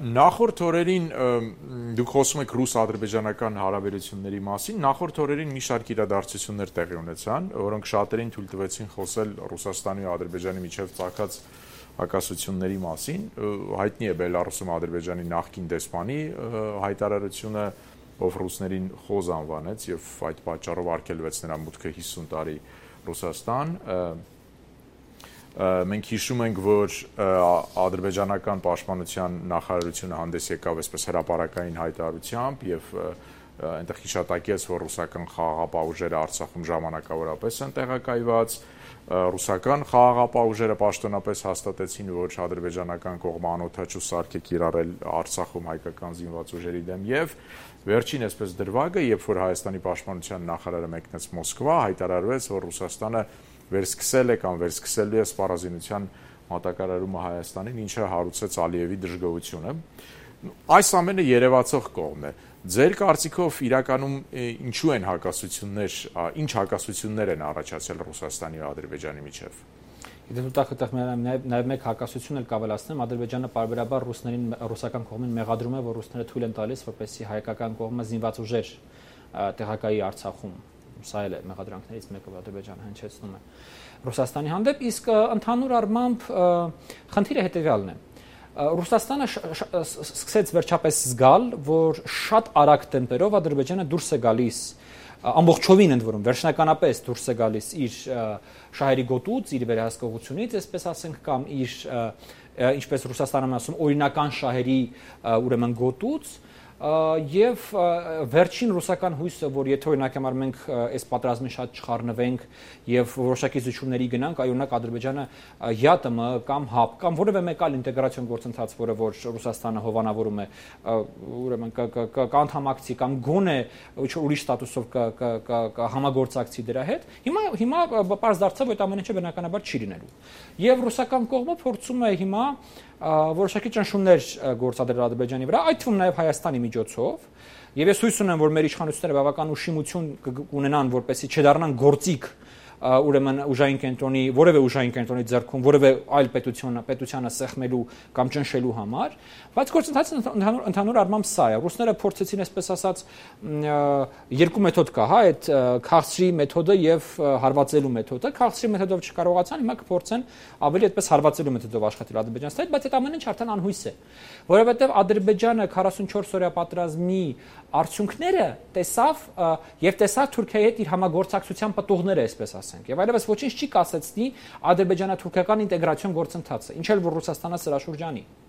Նախորդ օրերին դուք խոսում եք ռուս-ադրբեջանական հարաբերությունների մասին, նախորդ օրերին մի շարք իրադարձություններ տեղի ունեցան, որոնք շատերին թույլ տվեցին խոսել Ռուսաստանի ու Ադրբեջանի միջև ծագած հակասությունների մասին, հայտնի է Բելարուսում Ադրբեջանի նախկին դեսպանի հայտարարությունը, ով ռուսներին խոզ անվանեց եւ այդ պատճառով արգելվեց նրա մուտքը 50 տարի Ռուսաստան, մենք հիշում ենք, որ ադրբեջանական պաշտպանության նախարարությունը հանդես եկավ այսպես հրապարակային հայտարարությամբ եւ այնտեղ հիշատակեց, որ ռուսական խաղաղապահ ուժերը Արցախում ժամանակավորապես են տեղակայված, ռուսական խաղաղապահ ուժերը պաշտոնապես հաստատեցին, որ ադրբեջանական կողմը անօթաչու սարք է կիրառել Արցախում հայկական զինված ուժերի դեմ եւ վերջին այսպես դրվագը, երբ որ Հայաստանի պաշտպանության նախարարը մեկնեց Մոսկվա, հայտարարվեց, որ Ռուսաստանը վերսկսել է կամ վերսկսելու է սպառազինության մատակարարումը Հայաստանին, ինչը հարուցեց Ալիևի դժգոհությունը։ Այս ամենը երևացող կողմն է։ Ձեր կարծիքով իրականում ինչու են հակասություններ, ինչ հակասություններ են առաջացել Ռուսաստանի ու Ադրբեջանի միջև։ Եթե դուք այդտեղ նաև մեկ հակասություն էլ կավելացնեմ, Ադրբեջանը պարբերաբար ռուսական կողմին մեղադրում է, որ ռուսները թույլ են տալիս, որպեսզի հայկական կողմը զինված ուժեր տեղակայի Արցախում։ Սա էլ է մեղադրանքներից մեկը, որ Ադրբեջանը հնչեցնում է Ռուսաստանի հանդեպ, իսկ ընդհանուր առմամբ խնդիրը հետևյալն է։ Ռուսաստանը սկսեց վերջապես զգալ, որ շատ արագ տեմպերով Ադրբեջանը դուրս է գալիս, ամբողջովին ընդ որում վերջնականապես դուրս է գալիս իր շահերի գոտուց, իր վերահսկողությունից, այսպես ասենք, կամ իր ինչպես Ռուսաստանը ասում, օրինական շահերի ուրեմն գոտուց եւ վերջին ռուսական հույսը, որ եթե օրինակ համար մենք այս պատերազմին շատ չխառնվենք եւ որոշակի զիջումների գնանք, այօրինակ Ադրբեջանը ԵԱՏՄ կամ ՀԱՊ կամ որևէ մեկ այլ ինտեգրացիոն գործընթաց, որը որ Ռուսաստանը հովանավորում է, ուրեմն կանդամակցի կամ գոնե ուրիշ ստատուսով համագործակցի դրա հետ, հիմա պարզ դարձավ, որ այդ ամեն ինչը բնականաբար չի լինելու։ Եվ ռուսական կողմը փորձում է հիմա որոշակի ճնշումներ գործադրել Ադրբեջանի վրա, այդ թվում նաև Հայաստանի միջոցով, եւ ես հույս ունեմ, որ մեր իշխանությունները բավական ուշիմություն կունենան, որպեսզի չդառնան գործիք ուրեմն ուժային կենտրոնի, որևէ ուժային կենտրոնի ձեռքում, որևէ այլ պետությանը սեղմելու կամ ճնշելու համար, բայց գործընթացը ընդհանուր առմամբ սա է։ Ռուսները փորձեցին, այսպես ասած, երկու մեթոդ կա, հա, այդ քաղցրի մեթոդը եւ հարվածելու մեթոդը։ Քաղցրի մեթոդով չկարողացան, հիմա կփորձեն ավելի այդպես հարվածելու մեթոդով աշխատել Ադրբեջանից, բայց այդ ամեն ինչ արդեն անհույս է, որովհետեւ Ադրբեջանը 44 օրյա պատերազմի արդյունքները տեսավ եւ տեսավ Թուրքիայի հետ իր համագործակցության պատողները, այսպես ասենք, եւ այլևս ոչինչ չի կասեցնի ադրբեջանա-թուրքական ինտեգրացիոն գործընթացը, ինչ էլ որ Ռուսաստանը սրա շուրջ անի։